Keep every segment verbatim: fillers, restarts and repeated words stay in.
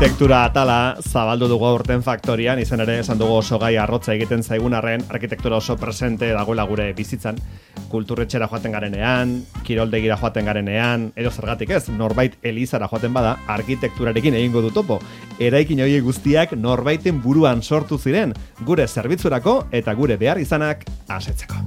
Arkitektura atala zabaldu dugu aurten faktorian, izan ere esan dugu oso gai arrotza egiten zaigun arren, arkitektura oso presente dagoela gure bizitzan, kulturretxera joaten garenean, kiroldegira joaten garenean, edo zergatik ez, norbait elizara joaten bada, arkitekturarekin egingo du topo. Eraikin horiek guztiak norbaiten buruan sortu ziren, gure zerbitzurako eta gure behar izanak asetzeko.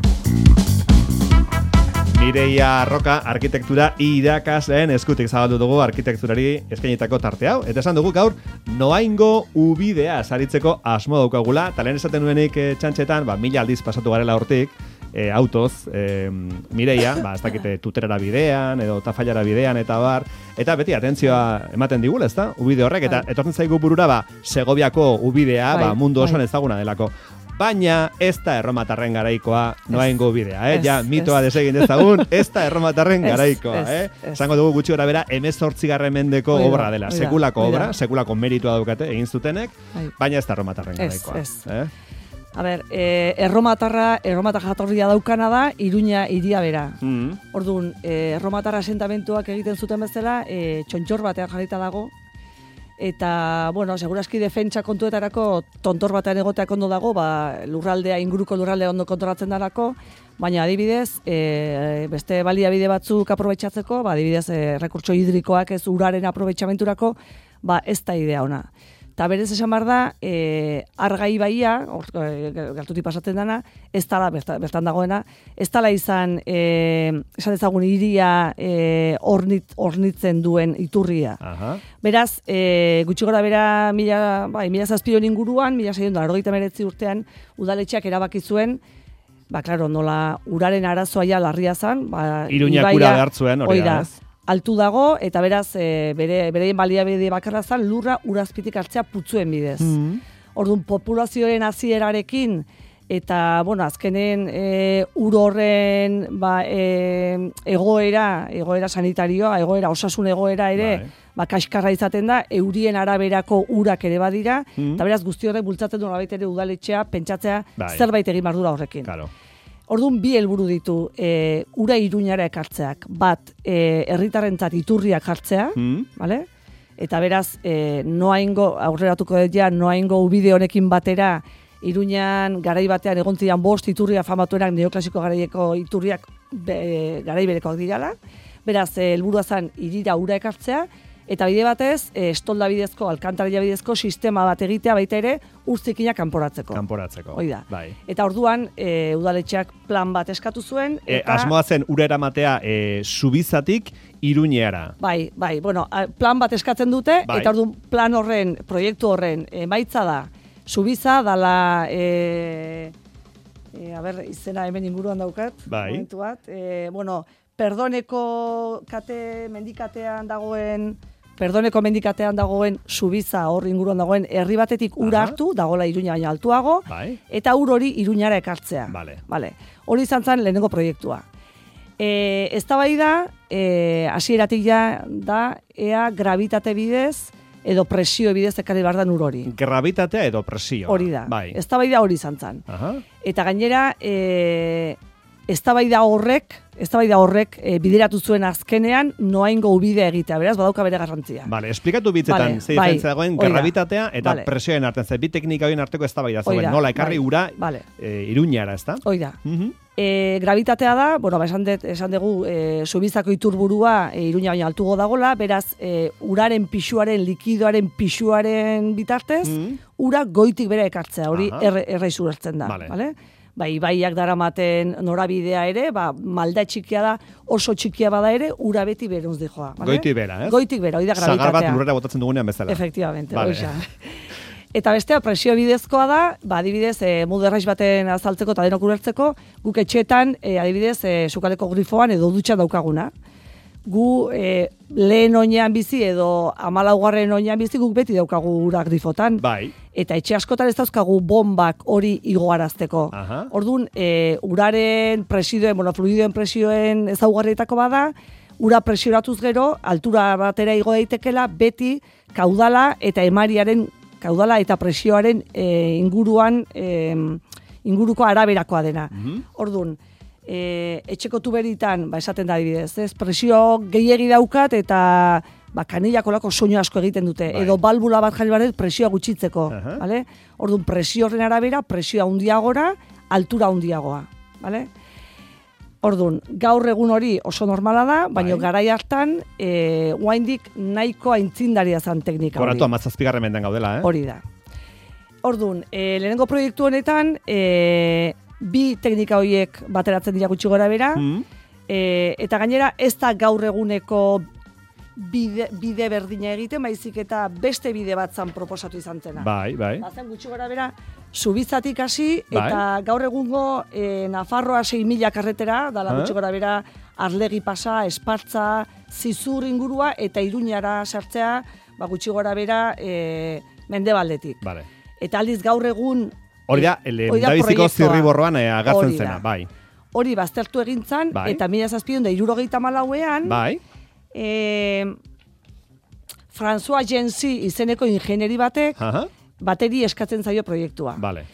Mireia Roka arkitektura irakasleen eskutik zabaldu dugu arkitekturari eskainitako tarte hau. Eta esan dugu gaur Noaingo ubidea saritzeko asmo daukagula. Talen esaten nuenik e, txantxetan, ba, mila aldiz pasatu garela hortik, e, autoz, e, Mireia, ba, ez dakite tuterara bidean, edo tafailara bidean, eta bar. Eta beti atentzioa ematen digula, ezta? Ubide horrek, eta etortzen zaigu burura, ba, Segoviako ubidea, ba, mundu osoan ezaguna delako. Baina ez da erromatarren garaikoa Noaingo bidea, eh? Ja, mitoa desegin dezagun, ez da erromatarren garaikoa, eh? Esango dugu gutxi gora bera, hemezortzigarren mendeko obra dela, sekulako obra, sekulako meritua daukate egin zutenek, baina ez da erromatarren garaikoa. Eh? A ber, eh, erromatarra, erromatar jatorria daukana da, Iruña hiria bera. Mm. Orduan, eh, erromatarra asentamentuak egiten zuten bezala, eh, txontxor batean jarrita dago, eta, bueno, seguraski defentsa kontuetarako tontor batean egoteak ondo dago, ba, lurraldea, inguruko lurraldea ondo kontrolatzen darako, baina adibidez, e, beste baliabide batzuk aprobetxatzeko, ba, adibidez, e, rekurtso hidrikoak ez uraren aprobetxamenturako, ba, ez da idea ona. Eta berez esan behar da, e, Argai baia, e, gertutik pasatzen dana, ez dala, bertan dagoena, ez dala izan, e, esan ezagun hiria e, ornit, ornitzen duen iturria. Aha. Beraz, e, gutxi gora bera, mila, bai, mila zazpion inguruan, mila seiehun eta laurogeita hemeretzi urtean, udaletxeak erabaki zuen, ba, klaro, nola uraren arazoa ja larria zan, ba, Iruñak ura behartzuen, hori da, ez? Altu dago, eta beraz, e, bere, bereien baliabide bakarra zan, lurra urazpitik hartzea putzuen bidez. Mm-hmm. Orduan, populazioaren hasierarekin eta, bueno, azkenen e, ur horren ba, e, egoera, egoera sanitarioa, egoera, osasun egoera ere, bai. Ba, kaskarra izaten da, eurien araberako urak ere badira, mm-hmm. eta beraz, guzti horrek bultzatzen du nolabait ere udaletxea, pentsatzea, bai. Zerbait egin bardura horrekin. Claro. Orduan bi helburu ditu, e, ura Iruñara ekartzeak, bat e, herritarrentzat iturriak jartzea, mm. vale? Eta beraz, e, Noaingo, aurreratuko dut ja, Noaingo ubide honekin batera, Iruñan garai batean egon ziren bost iturria famatuenak neoklasiko garaieko iturriak be, garai berekoak dirala, beraz, e, helburua zen hirira ura ekartzea, eta bide batez, e, estolda bidezko, alkantarilla bidezko sistema bat egitea baita ere, urzikinak kanporatzeko. Kanporatzeko. Hoi da. Bai. Eta orduan, e, udaletxeak plan bat eskatu zuen. Eta... E, asmoa zen ura eramatea e, Subizatik Iruñera. Bai, bai, bueno, plan bat eskatzen dute, bai. Eta orduan plan horren, proiektu horren, emaitza da, Subiza dala, e, e, a ber, izena hemen inguruan daukat, bai. Momentu bat, e, bueno, Perdoneko kate, mendikatean dagoen, Perdoneko mendikatean dagoen Subiza hor inguruan dagoen herri batetik ura hartu, dagoela Iruña baina altuago, bai. Eta ur hori Iruñara ekartzea. Vale. Vale. Hori izan zen lehenengo proiektua. E, eztabaida, e, hasieratik ja da, ea gravitate bidez, edo presio bidez ekarri behar da ur hori. Gravitatea edo presio. Hori da. Bai. Eztabaida hori izan zen. Aha. Eta gainera, e, eztabaida horrek, eztabaida horrek e, bideratu zuen azkenean Noaingo ubidea egitea, beraz badauka bere garrantzia. Vale, esplikatu bitzetan vale, ze diferentzia dagoen bai, gravitatea eta vale. Presioen artean, ze bi teknika horien arteko eztabaida zegoen, nola ekarri bai, ura vale. e, Iruñara, ezta? Hoi da. Uh-huh. E, gravitatea da, bueno, ba, esan, det, esan dugu e, Subizako iturburua e, Iruña baina altugo dagola, beraz e, uraren pisuaren, likidoaren pisuaren bitartez, uh-huh. ura goitik bere ekartzea, hori erre, erraizu hartzen da. Vale. Vale? Ba, ibaiak daramaten norabidea ere, ba, malda txikia da, oso txikia bada ere, ura beti beruz dijoa. Vale? Goitik bera, ez? Goitik bera, hori da gravitatea. Zagar bat lurrera botatzen dugunean bezala. Efectivamente, vale. Oixa. Eta bestea, presio bidezkoa da, ba, adibidez, e, muderraiz baten azaltzeko eta denok ulertzeko, guk etxetan, e, adibidez, e, sukaleko grifoan edo dutxan daukaguna. Gu e, lehen oinean bizi edo hamalaugarren oinean bizi guk beti daukagu ura grifotan. Bai. Eta etxe askotan ez dauzkagu bombak hori igoarazteko. Orduan, e, uraren presioen, bueno, fluidoen presioen ezaugarrietako bada, ura presioratuz gero, altura batera igo daitekela, beti kaudala eta emariaren, kaudala eta presioaren e, inguruan, e, inguruko araberakoa dena. Mm-hmm. Orduan, e, etxeko tuberitan, ba, esaten da adibidez, ez, presio gehiegi daukat eta ba, kanilak olako soinu asko egiten dute, bai. edo balbula bat jarri behar presioa gutxitzeko, Aha. bale? Orduan, presio horren arabera, presioa handiagora, altura handiagoa, bale? Orduan, gaur egun hori oso normala da, baina Bai. garai hartan, e, oraindik nahiko aintzindaria zen teknika hori. Koratu amazazpigarren mendean gaudela, eh? Hori da. Orduan, e, lehenengo proiektu honetan, e, bi teknika horiek bateratzen dira gutxi gora bera, Mm. e, eta gainera ez da gaur eguneko bide, bide berdina egiten, baizik eta beste bide bat zan proposatu izan zena. Bai, bai. Bazen gutxi gora bera, Zubizatik hasi, Bai. eta gaur egungo e, Nafarroa sei mila karretera, dala Ah. gutxi gora bera, Arlegi pasa, Espartza, Zizur ingurua, eta Iruñara sartzea, ba, gutxi gora bera, e, Mendebaldetik. Vale. Eta aldiz gaur egun... Hori da, hori da lehendabiziko proiektua. zirriborroan eh, agertzen Hori da. zena, bai. Hori baztertu egin zan, Bai. eta mila zazpion da irurogeita malauean, Bai. e, François Gensi izeneko ingenieri batek, Aha. bateri eskatzen zaio proiektua. Vale.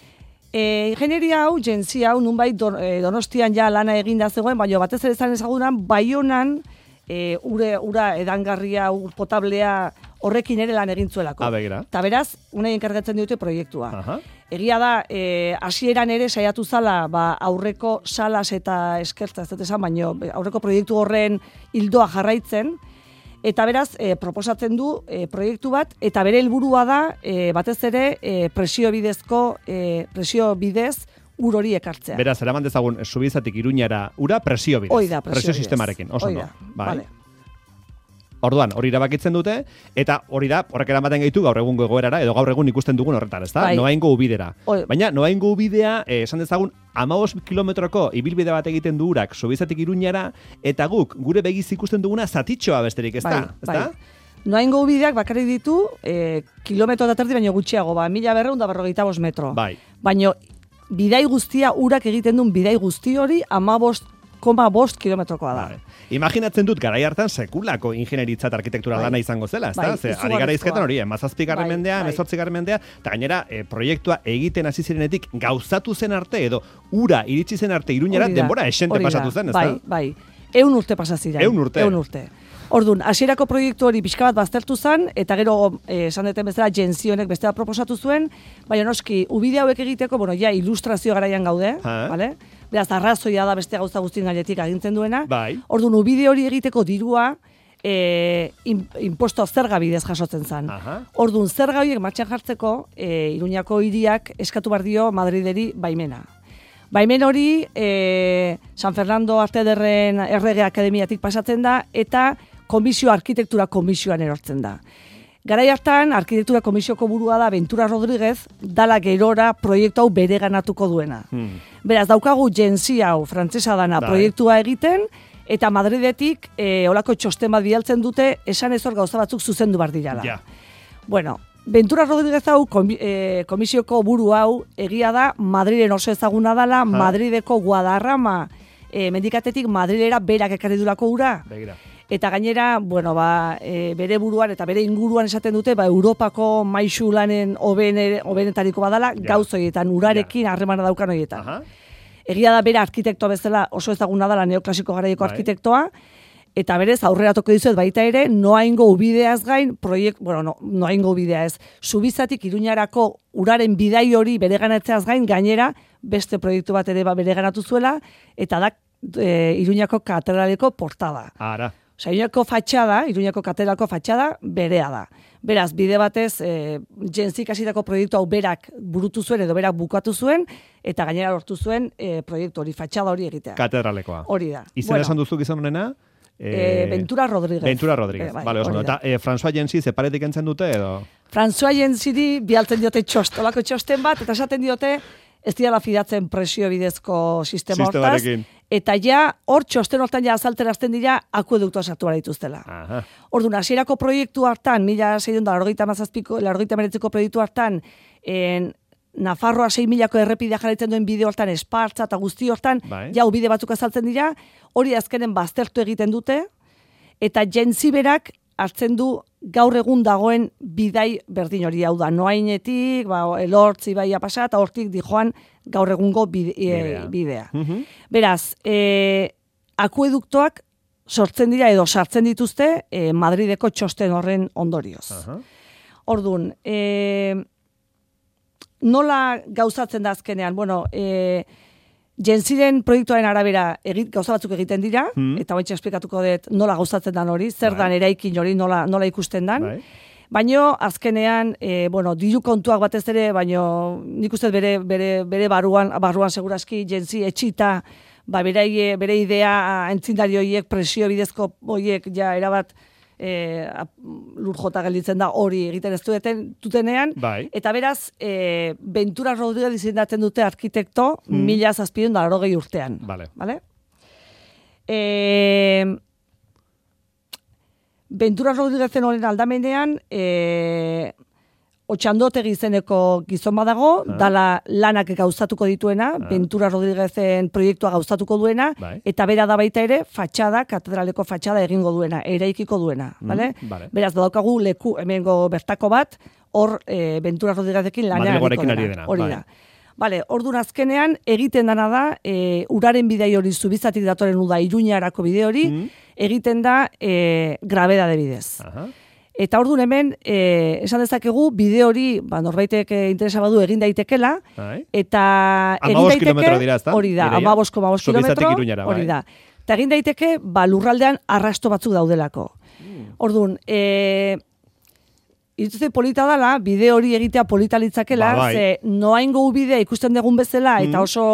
E, ingenieria hau, Gensi hau, nunbait don, e, Donostian ja lana eginda zegoen, baina batez ere zan ezagunan, Baionan, e, ure, ura edangarria, ur potablea, horrekin ere lan egin zuelako. Ah, begira. Eta beraz, unai enkargatzen diote proiektua. Aha. Egia da, e, hasieran ere saiatu zala, ba, aurreko salas eta eskertza, ez dut esan, baino, aurreko proiektu horren hildoa jarraitzen, eta beraz, e, proposatzen du e, proiektu bat, eta bere helburua da, e, batez ere, e, presio bidezko, e, presio bidez, ur hori ekartzea. Beraz, eraman dezagun, Zubizatik Iruñara ura presio bidez. Hoi da, presio bidez. sistemarekin, oso Hoi ondo. da, Bai. vale. Orduan, hori erabakitzen dute, eta hori da, horrek eramaten gaitu gaur egungo egoerara, edo gaur egun ikusten dugun horretan, ezta? Bai. Noaingo ubidera. Oi. Baina, noaingo ubidea, eh, esan dezagun, hamabost kilometroko ibilbide bat egiten du urak Zubizatik Iruñara, eta guk, gure begiz ikusten duguna zatitxoa besterik, ezta? Bai, Ezta? bai. Noaingo ubideak bakarrik ditu, e, kilometro eta terdi baino gutxiago, ba, mila berreun da berrogeita bost metro. Bai. Baino, bidai guztia, urak egiten duen bidai guzti hori, amabost koma bost kilometrokoa da. Vale. Imaginatzen dut, garai hartan sekulako ingenieritza eta arkitektura Bai. lana izango zela, ezta? Bai, Ze, ari izugarrizkoa. gara izketan hori, emazazpigarren Bai, mendea, bai. emezortzigarren mendea, eta gainera, e, proiektua egiten hasi zirenetik gauzatu zen arte, edo ura iritsi zen arte Iruñara, Hori da, denbora esente hori da. pasatu zen, ezta? Bai, bai. Eun urte pasazira. Ehun urte. Eun urte. Orduan, hasierako proiektu hori pixka bat baztertu zen, eta gero, eh, esan deten bezala, Gensionek beste bat proposatu zuen, baina noski, ubide hauek egiteko, bueno, ja, ilustrazio garaian gaude, Ha. vale? Beraz, arrazoia da beste gauza guztien gainetik agintzen duena. Bai. Orduan, ubide hori egiteko dirua, e, in, imposto zerga bidez jasotzen zen. Aha. Orduan, zerga horiek martxan jartzeko, e, Iruñako hiriak eskatu behar dio Madrideri baimena. Baimen hori, e, San Fernando Arte Ederren Errege Akademiatik pasatzen da, eta komisio arkitektura komisioan erortzen da. Garai hartan, arkitektura komisioko burua da Ventura Rodríguez, dala gerora proiektu hau bere ganatuko duena. Hmm. Beraz, daukagu Gensi hau, frantsesa dana, Bai. proiektua egiten, eta Madridetik e, olako txosten bat bidaltzen dute, esan ez hor gauza batzuk zuzendu bar dirala. Ja. Bueno, Ventura Rodríguez hau, komi, e, komisioko buru hau, egia da, Madrilen oso ezaguna dala, Madrideko Guadarrama e, mendikatetik Madrilera berak ekarri durako ura. Begira. Eta gainera, bueno, ba, e, bere buruan eta bere inguruan esaten dute, ba, Europako maisu lanen hoben- hobenetariko badala, Ja. gauz horietan, urarekin harremana daukan horietan. Aha. Egia da bere arkitektoa bezala oso ezaguna dela neoklasiko garaieko Bai. arkitektoa, eta berez aurrera toko dizuet baita ere, noaingo ubideaz gain, proiekt, bueno, no, noaingo ubidea ez, Zubizatik Iruñarako uraren bidai hori bereganatzeaz gain, gainera, beste proiektu bat ere ba bereganatu zuela, eta da e, Iruñako katedraleko portada. Ara. Osa, Iruñako fatxada, Iruñako katedralko fatxada, berea da. Beraz, bide batez, e, Genzik hasitako proiektu hau berak burutu zuen edo berak bukatu zuen, eta gainera lortu zuen e, proiektu hori, fatxada hori egitea. Katedralekoa. Hori da. Izena esan duzu gizon honena? Eh, Ventura Rodríguez. Ventura Rodríguez. Eh, bai, Vale, oso ondo. hori da. Eta eh, François Gensi zeparetik entzen dute edo? François Gensiri bialtzen diote txost, olako txosten bat, eta esaten diote, ez dira fidatzen presio bidezko sistema hortaz, Sistemarekin. eta ja, hor txosten hortan ja azalterazten dira akueduktua sartu behar dituztela. Aha. Orduan, hasierako proiektu hartan, mila seiehun eta laurogeita hamazazpiko, laurogeita hemeretziko proiektu hartan, en, Nafarroa sei milako errepidea jarraitzen duen bideo hortan, Espartza eta guzti hortan, Bai. ja ubide batzuk azaltzen dira, hori azkenen baztertu egiten dute, eta Gensi berak hartzen du gaur egun dagoen bidai berdin hori, hau da, noainetik, ba, elortzi baia pasa, eta hortik dijoan gaur egungo bide, Bidea. e, bidea. Mhm. Beraz, e, akueduktoak sortzen dira edo sartzen dituzte e, Madrideko txosten horren ondorioz. Aha. Orduan, e, nola gauzatzen da azkenean? Bueno, e, Jentziren proiektuaren arabera egit, gauza batzuk egiten dira, hmm. eta baitxe esplikatuko dut nola gauzatzen dan hori, zer bai. dan eraikin hori nola, nola ikusten dan. Bai. Baino azkenean, e, bueno, diru kontuak batez ere, baino nik uste bere, bere, bere barruan, barruan seguraski Jentzi etxita, ba, bere, bere idea entzindari horiek, presio bidezko horiek, ja, erabat, E, lur jota gelditzen da hori egiten ez duten dutenean, bai. eta beraz e, Ventura Rodríguez izendatzen dute arkitekto hmm. mila zazpiehun eta laurogei urtean. Vale. Vale? E, Ventura Rodríguezen horren aldamenean e, Otxandotegi izeneko gizon badago, ah. dala lanak gauzatuko dituena, ah. Ventura Rodríguezen proiektua gauzatuko duena, bai. eta bera da baita ere fatxada, katedraleko fatxada egingo duena, eraikiko duena. Mm, vale? Vale. Beraz, badaukagu leku hemengo bertako bat, hor e, Ventura Rodríguezekin lanean egiko dena. Hori da. Vale, orduan azkenean egiten dana da, e, uraren bidei hori zubizatik datoren uda Iruñarako bide hori, mm. egiten da e, grabedade bidez. Aha. Eta orduan hemen, eh, esan dezakegu, bide hori, ba, norbaitek interesa badu egin daitekela, Ai. eta egin daiteke, dira, hori da, amabosko, amabosko kilometro, hori da. Eta egin daiteke, ba, lurraldean arrasto batzuk daudelako. Mm. Orduan, e, irutzen polita dela, bide hori egitea polita litzakela, ba, bai. ze noaingo ubidea ikusten dugun bezala, mm. eta oso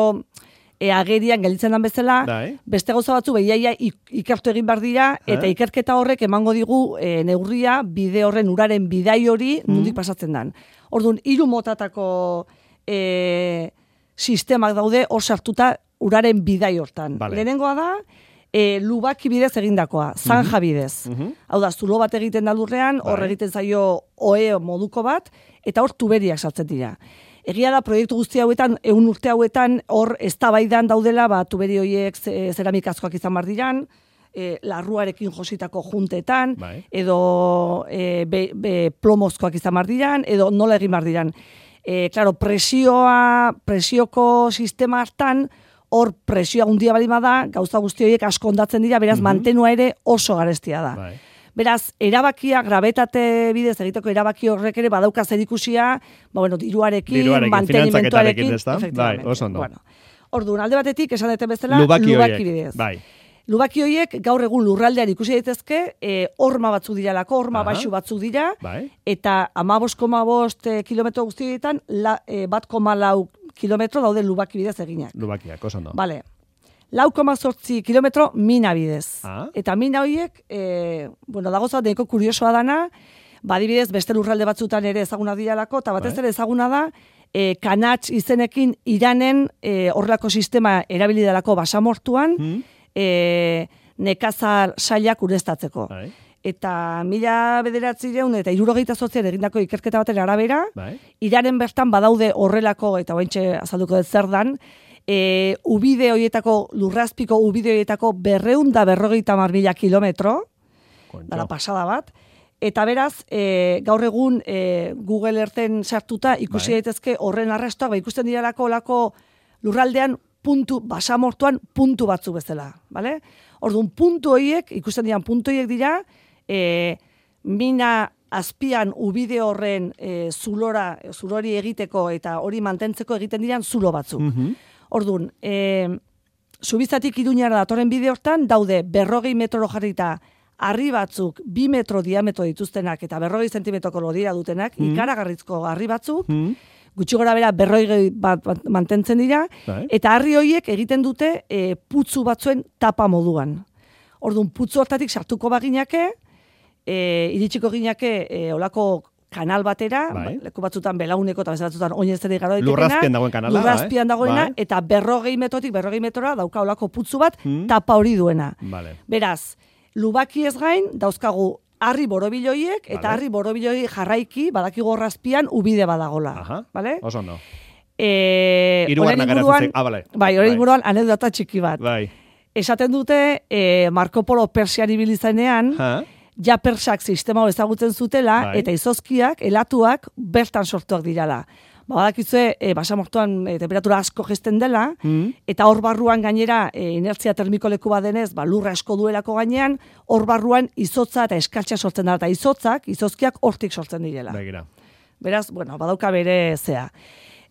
e, agerian gelditzen den bezala, Dai. beste gauza batzu behiaia ikertu egin behar dira, eta eh? ikerketa horrek emango digu e, neurria bide horren uraren bidai hori mm. nondik pasatzen den. Orduan, hiru motatako e, sistemak daude hor sartuta uraren bidai hortan. Vale. Lehenengoa da, e, lubaki bidez egindakoa, zanja bidez. Mm -hmm. Hau da, zulo bat egiten da lurrean, hor bai. egiten zaio oe moduko bat, eta hor tuberiak sartzen dira. Egia da, proiektu guzti hauetan, ehun urte hauetan, hor eztabaidan daudela, ba, tuberi horiek zeramikazkoak izan bar diran, e, larruarekin jositako juntetan, bai. edo e, be, be, plomozkoak izan bar diran, edo nola egin bar diran. E, claro, presioa, presioko sistema hartan, hor presioa hundia balima da, gauza guzti horiek asko ondatzen dira, beraz, mm-hmm. mantenua ere oso garestia da. Bai. Beraz, erabakia, grabetate bidez egiteko erabaki horrek ere badauka zerikusia, ba, bueno, diruarekin, diruarekin mantenimentuarekin, bai, oso ondo. Bueno, orduan, alde batetik, esan deten bezala, lubaki, lubaki bidez. Bai. Lubaki horiek gaur egun lurraldean ikusi daitezke, e, horma batzuk diralako, horma baxu batzuk dira, bai. eta amabost koma bost e, kilometro guztietan, e, bat koma lau kilometro daude lubaki bidez eginak. Lubakiak, oso ondo. Vale. lau koma zortzi kilometro mina bidez. Ah. Eta mina horiek, e, bueno, dagoza neko kuriosoa dana, badibidez beste lurralde batzutan ere ezaguna diralako, eta batez ere ezaguna da, e, kanatx izenekin Iranen e, horrelako sistema erabili delako basamortuan, hmm. e, nekazal sailak ureztatzeko. Bai. Eta mila bederatzireun eta hirurogeita zortzian egindako ikerketa baten arabera, bai. Iranen bertan badaude horrelako, eta ointxe azalduko dut zer dan, E, ubide horietako, lurrazpiko ubide horietako berreun da berrogeita mar mila kilometro, dara pasada bat, eta beraz, e, gaur egun e, Google Earthen sartuta ikusi bai. daitezke horren arrastoak, ba, ikusten diralako olako lurraldean puntu, basamortuan puntu batzu bezala, bale? Orduan, puntu horiek, ikusten diran puntu horiek dira, e, mina azpian ubide horren e, zulora, zulori egiteko eta hori mantentzeko egiten diran zulo batzuk. Mm-hmm. Orduan, e, Zubizatik Iruñara datorren bide hortan, daude berrogei metro jarrita harri batzuk bi metro diametro dituztenak eta berrogei zentimetroko lodira dutenak, mm. ikaragarrizko harri batzuk, mm. gutxi gora bera berrogei bat, bat mantentzen dira, Bye. eta harri horiek egiten dute e, putzu batzuen tapa moduan. Orduan, putzu hortatik sartuko baginake, e, iritsiko ginake e, olako kanal batera, bai. leku batzutan belauneko eta beste batzutan oinezeri garo ditekena. Lurrazpian dagoen kanala. Lurrazpian dagoena, bai. eta berrogei metrotik berrogei metrora dauka olako putzu bat, hmm. tapa hori duena. Vale. Beraz, lubaki ez gain, dauzkagu harri borobiloiek, eta vale. harri borobiloi jarraiki, badaki gorrazpian, ubide badagola. Aha, vale? oso no. E, Irugarna garatzen ah, vale. Bai, hori inguruan, anekdota txiki bat. Bai. Esaten dute, e, Marco Polo Persian ibilizanean, ha? ja persak sistema hau ezagutzen zutela, bai. eta izozkiak, elatuak, bertan sortuak dirala. Ba, badakizue, e, basamortuan e, temperatura asko gesten dela, mm. eta hor barruan gainera, e, inertzia termiko leku badenez, ba, lurra asko duelako gainean, hor barruan izotza eta eskaltxa sortzen dara, eta izotzak, izozkiak hortik sortzen direla. Begira. Beraz, bueno, badauka bere zea.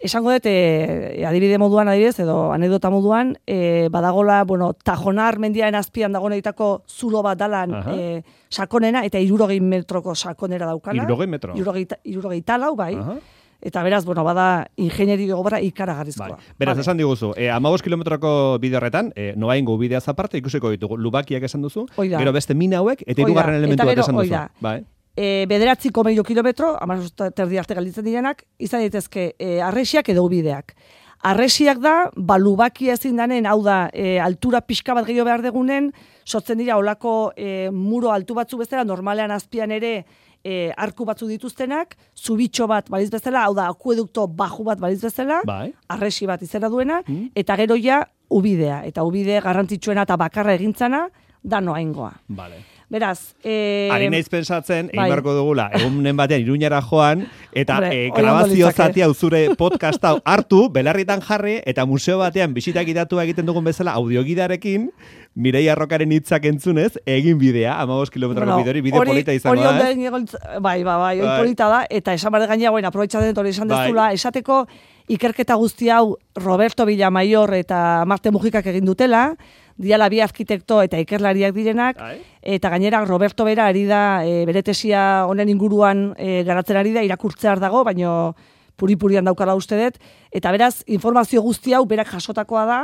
Esango dut, e, adibide moduan, adibidez, edo anekdota moduan, e, badagola, bueno, Tajonar mendiaren azpian dagoenetako zulo bat dalan e, sakonena, eta irurogei metroko sakonera daukana. Irurogei metro? Irurogei, irurogei talau, bai. Aha. Eta beraz, bueno, bada ingenieri obra ikaragarrizkoa. Bai. Beraz, vale. Esan diguzu, eh, amabost kilometroko bide horretan, eh, noaingo bideaz aparte, ikusiko ditugu, lubakiak esan duzu, oida. Gero beste mina hauek, eta hirugarren elementu bat esan duzu. Bai. E, bederatzi koma hiru kilometro, amabost terdi arte galditzen direnak, izan daitezke e, arresiak edo ubideak. Arresiak da, ba, lubakia ezin danen, hau da, e, altura pixka bat gehiago behar degunen, sortzen dira olako e, muro altu batzu bezala, normalean azpian ere, E, arku batzu dituztenak, zubitxo bat baliz bezala, hau da, akuedukto baju bat baliz bezala, bai. Arresi bat izena duena, mm. eta gero ja ubidea. Eta ubide garrantzitsuena eta bakarra egintzana, da noaingoa. Vale. Beraz, e... Ari naiz pensatzen, bai. egin beharko dugula, egunen batean Iruñara joan, eta e, grabazio zatia zure podcast hau hartu, belarritan jarri, eta museo batean bisitak idatu egiten dugun bezala, audiogidarekin, Mireia Arrokaren hitzak entzunez, egin bidea, amabost kilometroko bueno, bidori, bide ori, polita izango da. Hori onden, bai, bai, bai, hori polita da, eta esan barde gaina, bueno, aprobetxatzen hori esan dezula, bai. Esateko ikerketa guzti hau Roberto Villamaior eta Marte Mujikak egin dutela, diala bi arkitekto eta ikerlariak direnak, Ai. Eta gainera Roberto bera ari da, e, bere tesia honen inguruan e, garatzen ari da, irakurtzear dago, baino puri-purian daukala uste dut, eta beraz, informazio guzti hau berak jasotakoa da,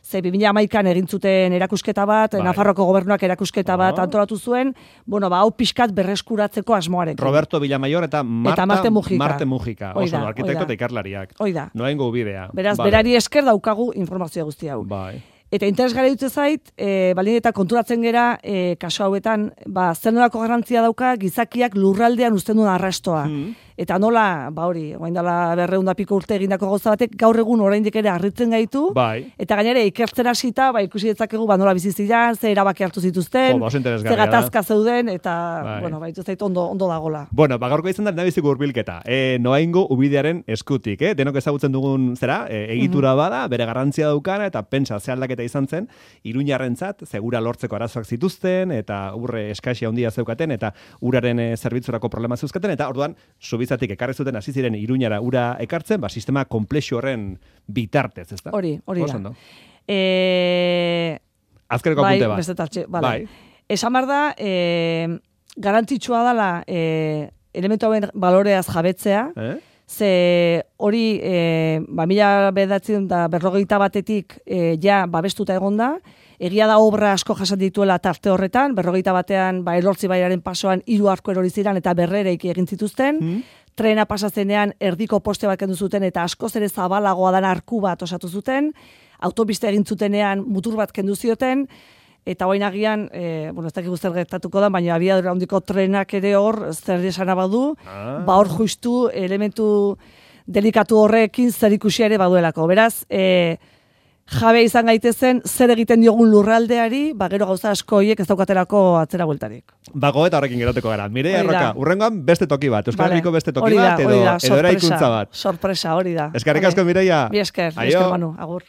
ze bi mila hamaikan egin zuten erakusketa bat, bai. Nafarroko gobernuak erakusketa bat oh. antolatu zuen, bueno, ba, hau pixkat berreskuratzeko asmoarekin. Roberto Villamaior eta Marta, eta Marte Mujika. Marte Mujika, oso no, arkitekto eta ikerlariak. Oida. Noaingo ubidea. Beraz, vale. Berari esker daukagu informazio guzti hau. Bai. Eta interesgarri dutze zait, e, baldin eta konturatzen gera, e, kaso hauetan, ba, zer nolako garrantzia dauka gizakiak lurraldean uzten duen arrastoa. Mm. Eta nola, ba hori, orain dela berrehun da piko urte egindako gauza batek, gaur egun oraindik ere harritzen gaitu, bai. Eta gainera ikertzen hasita, ba, ikusi detzakegu, ba, nola bizi ziren, ze erabaki hartu zituzten, jo, ze gatazka zeuden, eta, bai. bueno, ba, zait ondo, ondo dagola. Bueno, ba, gaurko izan da, nabiziko hurbilketa. E, noaingo ubidearen eskutik, eh? Denok ezagutzen dugun zera, e, egitura mm-hmm. bada, bere garrantzia daukana, eta pentsa ze aldaketa izan zen, Iruñarrentzat, segura lortzeko arazoak zituzten, eta urre eskasia handia zeukaten, eta uraren e, zerbitzurako problema zeuzkaten, eta orduan, subizatik ekarri zuten hasi ziren Iruñara ura ekartzen, ba, sistema komplexu horren bitartez, ezta? Hori, hori da. E... Azkeneko bai, apunte bat. Bestetartxe, vale. Bai. Esan behar da, e, garrantzitsua dela e, elementu hauen baloreaz jabetzea, eh? Ze hori, e, ba, mila bedatzen da berrogeita batetik e, ja babestuta egonda, egia da obra asko jasan dituela tarte horretan, berrogeita batean, ba, Elortzi baiaren pasoan hiru arko erori ziren eta berrereik egin zituzten, mm. Trena pasazenean erdiko poste bat kendu zuten eta askoz ere zabalagoa dan arku bat osatu zuten, autopista egin zutenean mutur bat kendu zioten, eta orain agian, e, bueno, ez dakigu zer gertatuko da, baina abiadura handiko trenak ere hor, zer esana badu, ah. ba hor justu elementu delikatu horrekin zer ikusi ere baduelako. Beraz, e, jabe izan gaitezen, zer egiten diogun lurraldeari, ba gero gauza asko hiek ez daukatelako atzera bueltarik. Bago eta horrekin geratuko gara. Mireia Arroka, urrengoan beste toki bat, Euskal Herriko beste toki da, bat, edo, edo eraikuntza bat. Sorpresa, hori da. Eskerrik asko, Mireia. Bi esker, bi esker, Manu, agur.